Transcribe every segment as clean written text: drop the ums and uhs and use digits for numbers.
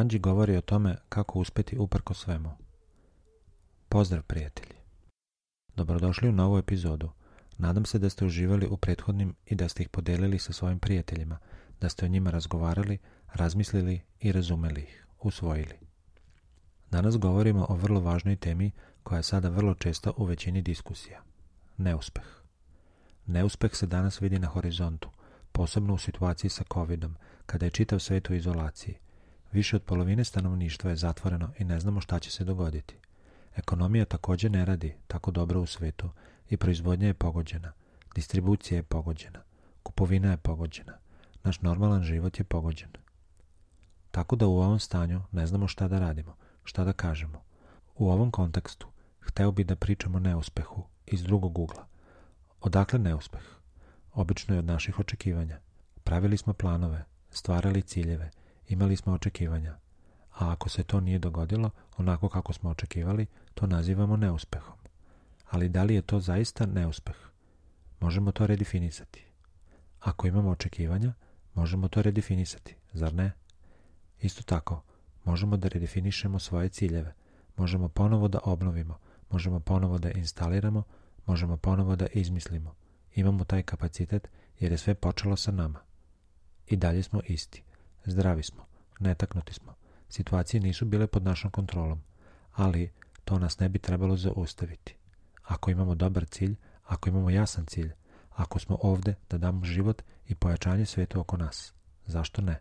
Anđi govori o tome kako uspeti uprko svemu. Pozdrav prijatelji! Dobrodošli u novu epizodu. Nadam se da ste uživali u prethodnim i da ste ih podelili sa svojim prijateljima, da ste o njima razgovarali, razmislili i razumeli ih, usvojili. Danas govorimo o vrlo važnoj temi koja je sada vrlo česta u većini diskusija. Neuspeh. Neuspeh se danas vidi na horizontu, posebno u situaciji sa covidom, kada je čitav svijet u izolaciji. Više od polovine stanovništva je zatvoreno i ne znamo šta će se dogoditi. Ekonomija također ne radi tako dobro u svijetu i proizvodnja je pogođena, distribucija je pogođena, kupovina je pogođena, naš normalan život je pogođen. Tako da u ovom stanju ne znamo šta da radimo, šta da kažemo. U ovom kontekstu hteo bi da pričamo o neuspehu iz drugog ugla. Odakle neuspeh? Obično je od naših očekivanja. Pravili smo planove, stvarali ciljeve, imali smo očekivanja. A ako se to nije dogodilo onako kako smo očekivali, to nazivamo neuspehom. Ali da li je to zaista neuspeh? Možemo to redefinisati. Ako imamo očekivanja, možemo to redefinisati, zar ne? Isto tako, možemo da redefinišemo svoje ciljeve, možemo ponovo da obnovimo, možemo ponovo da instaliramo, možemo ponovo da izmislimo. Imamo taj kapacitet jer je sve počelo sa nama. I dalje smo isti. Zdravi smo, netaknuti smo. Situacije nisu bile pod našom kontrolom, ali to nas ne bi trebalo zaustaviti. Ako imamo dobar cilj, ako imamo jasan cilj, ako smo ovde da damo život i pojačanje svijetu oko nas, zašto ne?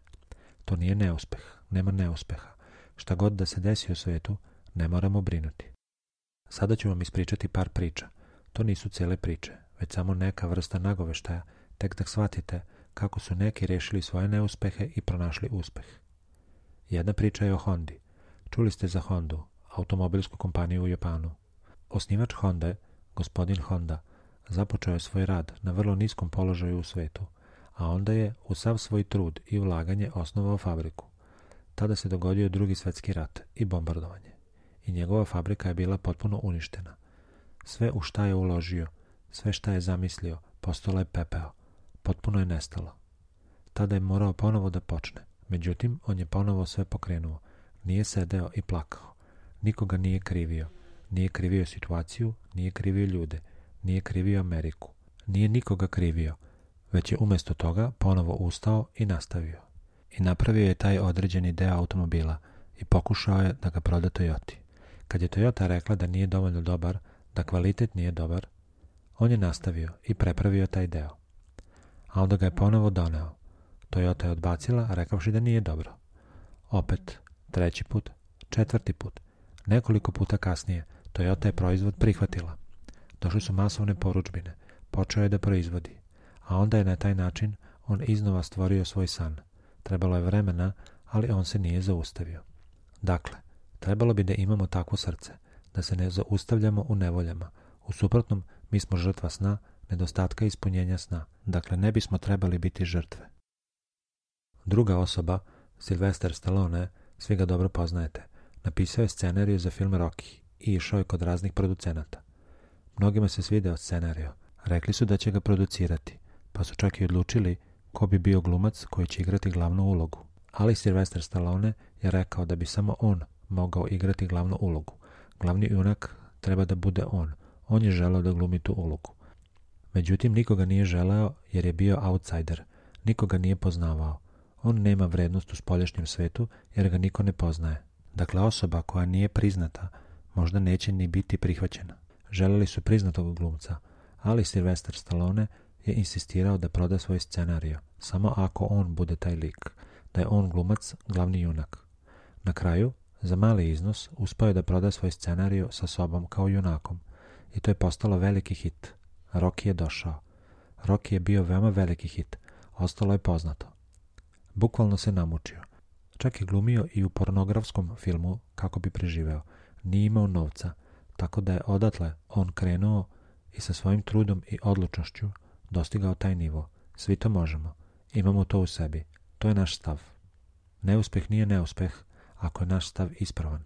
To nije neuspeh, nema neuspeha. Šta god da se desi u svijetu, ne moramo brinuti. Sada ću vam ispričati par priča. To nisu cijele priče, već samo neka vrsta nagoveštaja, tek da shvatite kako su neki rešili svoje neuspehe i pronašli uspeh. Jedna priča je o Hondi. Čuli ste za Hondu, automobilsku kompaniju u Japanu. Osnivač Honde, gospodin Honda, započeo je svoj rad na vrlo niskom položaju u svetu, a onda je u sav svoj trud i ulaganje osnovao fabriku. Tada se dogodio Drugi svjetski rat i bombardovanje. I njegova fabrika je bila potpuno uništena. Sve u šta je uložio, sve šta je zamislio, postalo je pepeo. Potpuno je nestalo. Tada je morao ponovo da počne. Međutim, on je ponovo sve pokrenuo. Nije sedeo i plakao. Nikoga nije krivio. Nije krivio situaciju, nije krivio ljude, nije krivio Ameriku. Nije nikoga krivio, već je umjesto toga ponovo ustao i nastavio. I napravio je taj određeni deo automobila i pokušao je da ga proda Toyoti. Kad je Toyota rekla da nije dovoljno dobar, da kvalitet nije dobar, on je nastavio i prepravio taj deo. A onda ga je ponovo doneo. Toyota je odbacila, rekavši da nije dobro. Opet, treći put, četvrti put. Nekoliko puta kasnije, Toyota je proizvod prihvatila. Došli su masovne porudžbine, počeo je da proizvodi. A onda je na taj način on iznova stvorio svoj san. Trebalo je vremena, ali on se nije zaustavio. Dakle, trebalo bi da imamo takvo srce, da se ne zaustavljamo u nevoljama. U suprotnom, mi smo žrtva sna, nedostatka ispunjenja sna. Dakle, ne bismo trebali biti žrtve. Druga osoba, Sylvester Stallone, svi ga dobro poznajete, napisao je scenariju za film Rocky i išao je kod raznih producenata. Mnogima se svideo scenario, rekli su da će ga producirati, pa su čak i odlučili ko bi bio glumac koji će igrati glavnu ulogu. Ali Sylvester Stallone je rekao da bi samo on mogao igrati glavnu ulogu. Glavni junak treba da bude on. On je želeo da glumi tu ulogu. Međutim, nikoga nije želeo jer je bio outsider. Nikoga nije poznavao. On nema vrednost u spoljašnjem svetu jer ga niko ne poznaje. Dakle, osoba koja nije priznata možda neće ni biti prihvaćena. Želeli su priznatog glumca, ali Sylvester Stallone je insistirao da proda svoj scenario, samo ako on bude taj lik, da je on glumac, glavni junak. Na kraju, za mali iznos, uspeo je da proda svoj scenario sa sobom kao junakom i to je postalo veliki hit. Rocky je došao. Rocky je bio veoma veliki hit, ostalo je poznato. Bukvalno se namučio. Čak je glumio i u pornografskom filmu kako bi preživeo. Nije imao novca, tako da je odatle on krenuo i sa svojim trudom i odlučnošću dostigao taj nivo. Svi to možemo. Imamo to u sebi. To je naš stav. Neuspeh nije neuspeh ako je naš stav ispravan.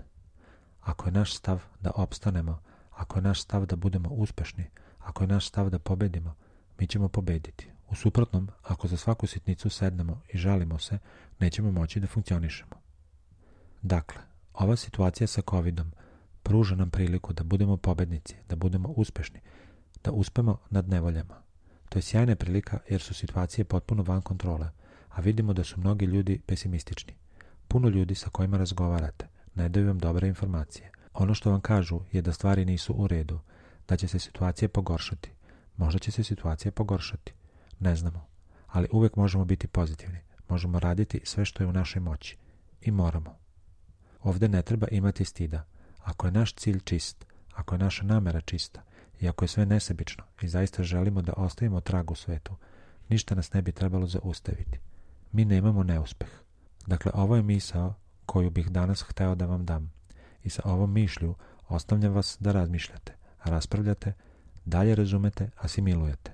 Ako je naš stav da opstanemo, ako je naš stav da budemo uspešni, ako je naš stav da pobedimo, mi ćemo pobediti. U suprotnom, ako za svaku sitnicu sednemo i žalimo se, nećemo moći da funkcionišemo. Dakle, ova situacija sa COVID-om pruža nam priliku da budemo pobednici, da budemo uspešni, da uspemo nad nevoljama. To je sjajna prilika jer su situacije potpuno van kontrole, a vidimo da su mnogi ljudi pesimistični. Puno ljudi sa kojima razgovarate ne daju vam dobre informacije. Ono što vam kažu je da stvari nisu u redu, da će se situacija pogoršati. Možda će se situacija pogoršati. Ne znamo. Ali uvek možemo biti pozitivni. Možemo raditi sve što je u našoj moći. I moramo. Ovdje ne treba imati stida. Ako je naš cilj čist, ako je naša namera čista i ako je sve nesebično i zaista želimo da ostavimo trag u svetu, ništa nas ne bi trebalo zaustaviti. Mi nemamo neuspeh. Dakle, ovo je misao koju bih danas hteo da vam dam. I sa ovom mišlju ostavljam vas da razmišljate, raspravljate, dalje razumete, asimilujete.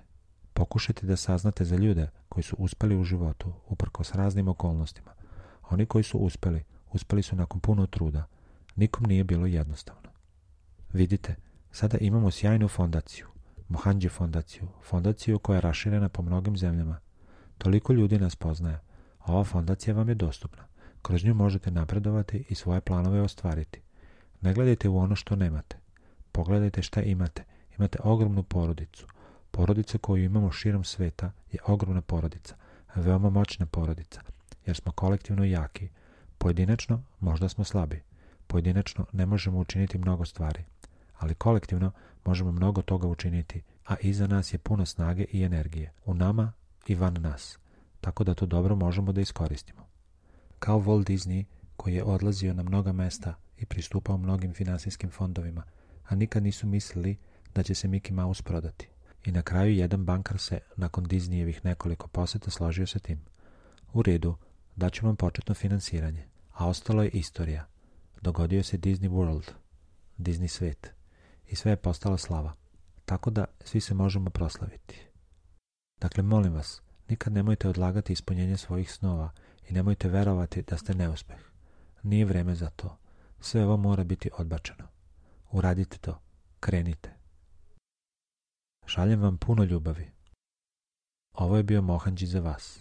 Pokušajte da saznate za ljude koji su uspeli u životu uprkos raznim okolnostima. Oni koji su uspeli su nakon puno truda. Nikom nije bilo jednostavno. Vidite, sada imamo sjajnu fondaciju, Mohanji fondaciju koja je raširena po mnogim zemljama. Toliko ljudi nas poznaje. Ova fondacija vam je dostupna. Kroz nju možete napredovati i svoje planove ostvariti. Ne gledajte u ono što nemate. Pogledajte šta imate. Imate ogromnu porodicu. Porodica koju imamo širom sveta je ogromna porodica, veoma moćna porodica, jer smo kolektivno jaki. Pojedinačno možda smo slabi. Pojedinačno ne možemo učiniti mnogo stvari, ali kolektivno možemo mnogo toga učiniti, a iza nas je puno snage i energije, u nama i van nas, tako da to dobro možemo da iskoristimo. Kao Walt Disney, koji je odlazio na mnoga mesta i pristupao mnogim finansijskim fondovima, a nikad nisu mislili da će se Mickey Mouse prodati. I na kraju jedan bankar se, nakon Disneyevih nekoliko poseta, složio sa tim. U redu, daću vam početno finansiranje, a ostalo je istorija. Dogodio se Disney World, Disney svet, i sve je postala slava. Tako da svi se možemo proslaviti. Dakle, molim vas, nikad nemojte odlagati ispunjenje svojih snova i nemojte verovati da ste neuspeh. Nije vreme za to. Sve ovo mora biti odbačeno. Uradite to. Krenite. Šaljem vam puno ljubavi. Ovo je bio Mohanji za vas.